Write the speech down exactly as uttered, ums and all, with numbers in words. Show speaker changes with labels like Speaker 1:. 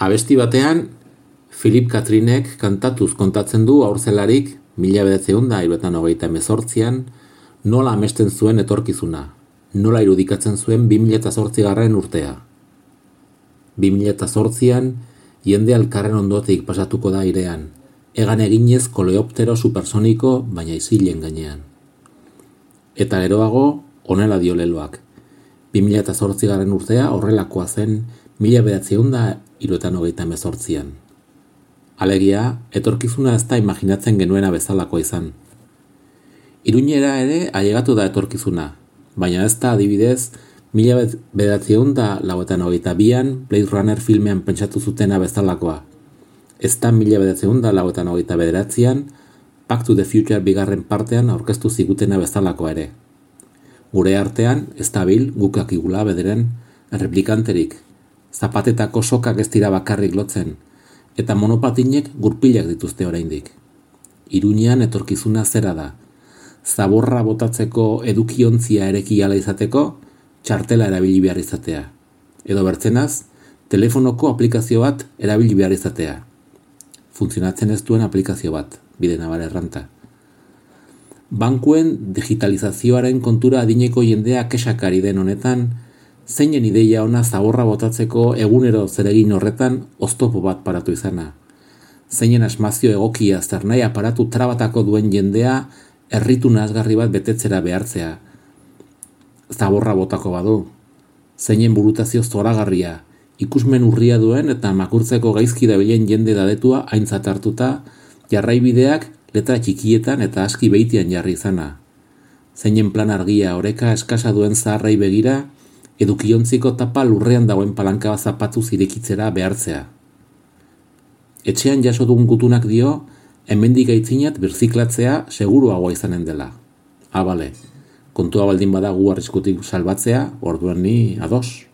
Speaker 1: Abesti batean, Philip Catherinek kantatuz kontatzen du haurzelarik mila bederatziehun eta hirurogeita hogeita hemezortzian nola amesten zuen etorkizuna, nola irudikatzen zuen bi mila zortzigarren urtea. bi mila zortzian jende elkarren ondotik pasatuko da airean, egan eginez koleoptero supersoniko baina isilen gainean. Eta geroago, honela dio leloak. bi mila zortzigarren urtea horrelakoa zen mila bederatziehun eta hirurogeita hogeita hemezortzian. Alegia, etorkizuna ez da imaginatzen genuena bezalakoa izan. Iruñera ere ailegatu da etorkizuna, baina ez da adibidez mila bederatziehun eta laurogeita hogeita bian Blade Runner filmean pentsatu zutena bezalakoa. Ez da mila bederatziehun eta laurogeita hogeita bederatzian Back to the Future bigarren partean aurkeztu zigutena bezalakoa ere. Gure artean ez dabil guk akigula bederen erreplikanterik, zapatetako sokak ez dira bakarrik lotzen, eta monopatinek gurpilak dituzte oraindik. Iruñean etorkizuna zera da. Zaborra botatzeko edukiontzia ereki ala izateko, txartela erabili behar izatea. Edo bertzenaz, telefonoko aplikazio bat erabili behar izatea. Funtzionatzen ez duen aplikazio bat, bide nabar erranta. Bankuen digitalizazioaren kontura adineko jendea kexakari den honetan, zeinen ideia ona zaborra botatzeko egunero zeregin horretan oztopo bat paratu izana. Zeinen asmazio egokia zernai aparatu trabatako duen jendea erritu nazgarri bat betetzera behartzea. Zaborra botako badu. Zeinen burutazio zoragarria, ikusmen urria duen eta makurtzeko gaizki dabilen jende dadetua aintzat hartuta, jarraibideak letra txikietan eta aski beitian jarri izana. Zeinen plan argia oreka eskasa duen zaharrei begira, edukiontziko tapa lurrean dagoen palanka zapatu zirekitzera behartzea. Etxean jaso dugun gutunak dio, hemendik aitzinat birziklatzea seguruagoa izanen dela. Ah, bale, kontua baldin bada gu arriskutik salbatzea, orduan ni ados.